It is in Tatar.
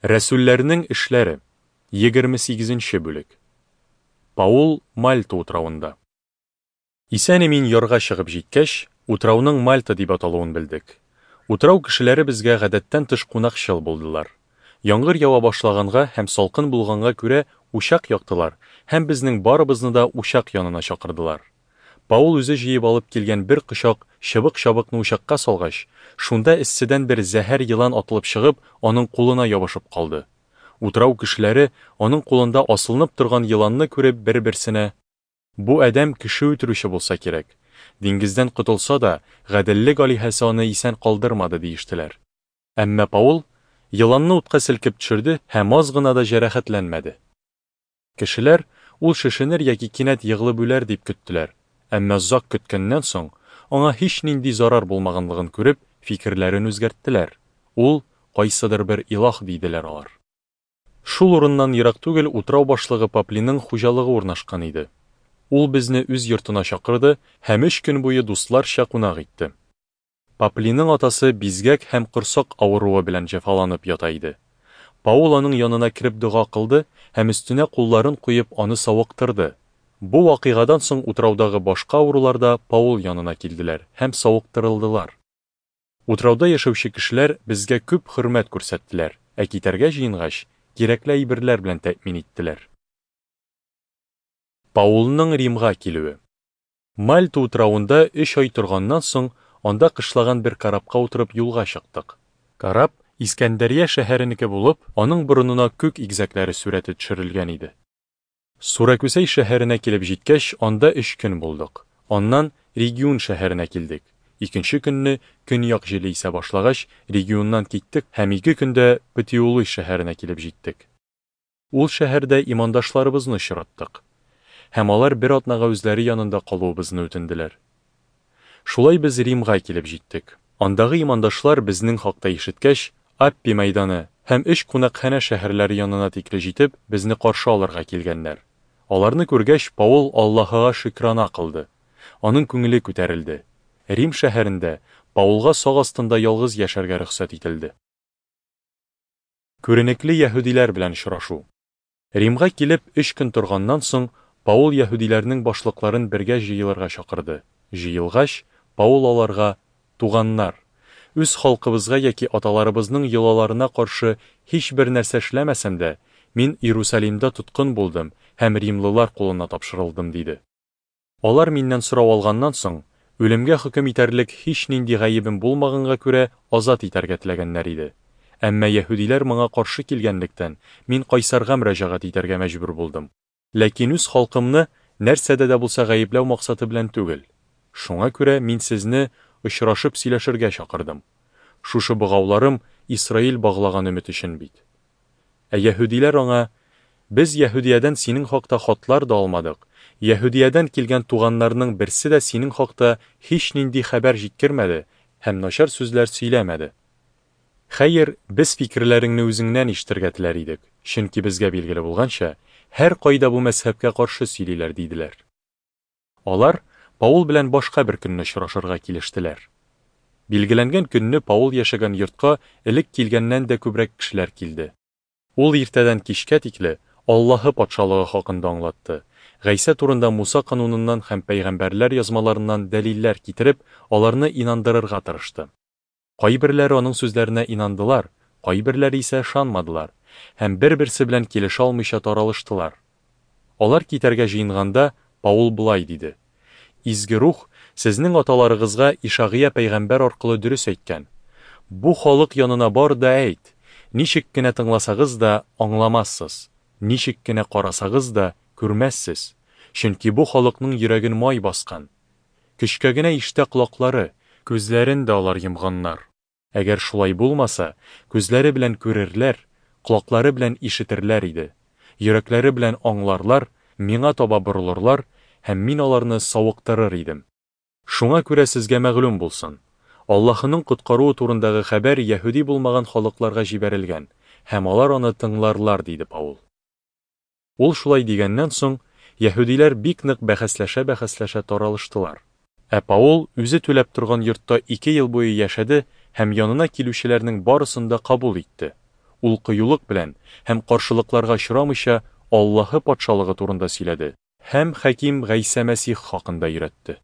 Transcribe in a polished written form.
Рәсүлләрнең эшләре, 28 нче бүлек. Паул Мальта утравында. Исән-имин ярга чыгып җиткәч, утрауның Мальта дип аталуын белдек. Утрау кешеләре безгә гадәттән тыш кунакчыл булдылар. Яңгыр ява башлаганга һәм салкын булганга күрә учак яктылар һәм безнең барыбызны да учак янына чакырдылар. Паул үзе җыеп алып килгән бер кочак чыбык-чабыкны учакка салгач, шунда эсседән бер зәһәр елан атылып чыгып, аның кулына ябышып калды. Утрау кешеләре, аның кулында асылынып торган еланны күреп, бер-берсенә, Бу адәм кеше үтерүче булса кирәк. Диңгездән котылса да, гаделлек алиһәсе аны исән калдырмады, диештеләр. Әмма Паул еланны утка селкеп төшерде һәм аз гына да җәрәхәтләнмәде. Кешеләр, ул шешенер яки кинәт егылып үләр дип көттеләр, әмма озак көткәннән соң, аңа һичнинди зарар булмаганлыгын күреп, фикерләрен үзгәрттеләр, ул, кайсыдыр бер илаһ, диделәр алар. Шул урыннан ерак түгел утрау башлыгы Паплиның хуҗалыгы урнашкан иде. Ул безне үз йортына чакырды һәм өч көн буе дусларча кунак итте. Паплиның атасы бизгәк һәм корсак авыруы белән җәфаланып ята иде. Паул аның янына кереп дога кылды һәм өстенә кулларын куеп аны савыктырды. Бу вакыйгадан соң утраудагы башка авырулар да Паул янына килделәр һәм савыктырылдылар. Утрауда яшәүче кешеләр безгә күп хөрмәт күрсәттеләр, ә китәргә җыенгач, кирәкле әйберләр белән тәэмин иттеләр. Паулның Римга килүе. Мальта утравында өч ай торганнан соң, анда кышлаган бер корабка утырып юлга чыктык. Кораб Искәндәрия шәһәренеке булып, аның борынына күк игезәкләре сурәте төшерелгән иде. Суракүсәй шәһәренә килеп җиткәч, анда өч көн булдык. Аннан Региун шәһәренә килдек. Икенче көнне, көньяк җиле исә башлагач, Региуннан киттек һәм ике көндә Путеолый шәһәренә килеп җиттек. Ул шәһәрдә имандашларыбызны очраттык. Һәм алар бер атнага үзләре янында калуыбызны үтенделәр. Шулай без Римга килеп җиттек. Андагы имандашлар безнең хакта ишеткәч, Аппий мәйданы һәм Өч кунакханә шәһәрләре янына тикле җитеп, безне каршы алырга килгәннәр. Аларны күргәч, Паул Аллаһыга шөкрана кылды. Аның күңеле күтәрелде. Рим шәһәрендә Паулга сак астында ялгыз яшәргә рөхсәт ителде. Күренекле яһүдиләр белән очрашу. Римга килеп, өч көн торганнан соң, Паул яһүдиләрнең башлыкларын бергә җыелырга чакырды. Җыелгач, Паул аларга, Туганнар! Үз халкыбызга яки аталарыбызның йолаларына каршы һичбер нәрсә эшләмәсәм дә, мин Иерусалимда тоткын булдым һәм римлылар кулына тапшырылдым, диде. Алар миннән сорау алганнан соң, үлемгә хөкем итәрлек һичнинди гаебем булмаганга күрә, азат итәргә теләгәннәр иде. Әмма яһүдиләр моңа каршы килгәнлектән, мин кайсарга мөрәҗәгать итәргә мәҗбүр булдым. Ләкин үз халкымны нәрсәдә дә булса гаепләү максаты белән түгел. Шуңа күрә мин сезне очрашып сөйләшергә чакырдым. Шушы богауларым Исраил баглаган өмет өчен бит. Ә яһүдиләр аңа, Без Яһүдиядән синең хакта хатлар да алмадык, Яһүдиядән килгән туганнарның берсе дә синең хакта һичнинди хәбәр җиткермәде һәм начар сүзләр сөйләмәде. Хәер, без фикерләреңне үзеңнән ишетергә теләр идек, чөнки безгә билгеле булганча, һәркайда бу мәзһәбкә каршы сөйлиләр, диделәр. Алар Паул белән башка бер көнне очрашырга килештеләр. Билгеләнгән көнне Паул яшәгән йортка элек килгәннән дә күбрәк кешеләр килде. Ул иртәдән кичкә тикле Аллаһы Патшалыгы хакында аңлатты, Гайсә турында Муса кануныннан һәм пәйгамбәрләр язмаларыннан дәлилләр китереп, аларны инандырырга тырышты. Кайберләре аның сүзләренә инандылар, кайберләре исә ышанмадылар һәм бер-берсе белән килешә алмыйча таралыштылар. Алар китәргә җыенганда, Паул болай диде, Изге Рух сезнең аталарыгызга Ишагыя пәйгамбәр аркылы дөрес әйткән, Бу халык янына бар да әйт, ничек кенә тыңласагыз да, аңламассыз, ничек кенә карасагыз да, күрмәссез, чөнки бу халыкның йөрәген май баскан. Көчкә генә ишетә колаклары, күзләрен дә алар йомганнар. Әгәр шулай булмаса, күзләре белән күрерләр, колаклары белән ишетерләр иде, йөрәкләре белән аңларлар, миңа таба борылырлар, һәм мин аларны савыктырыр идем. Шуңа күрә сезгә мәгълүм булсын, Аллаһының коткаруы турындагы хәбәр яһүди булмаган халыкларга җибәрелгән, һәм алар аны тыңларлар, диде Паул. Ул шулай дигәннән соң, яһүдиләр бик нык бәхәсләшә-бәхәсләшә таралыштылар. Ә Паул үзе түләп торган йортта ике ел буе яшәде һәм янына килүчеләрнең барысын да кабул итте. Ул кыюлык белән һәм каршылыкларга очрамыйча Аллаһы Патшалыгы турында сөйләде һәм Хаким Гайсә Мәсих хакында өйрәтте.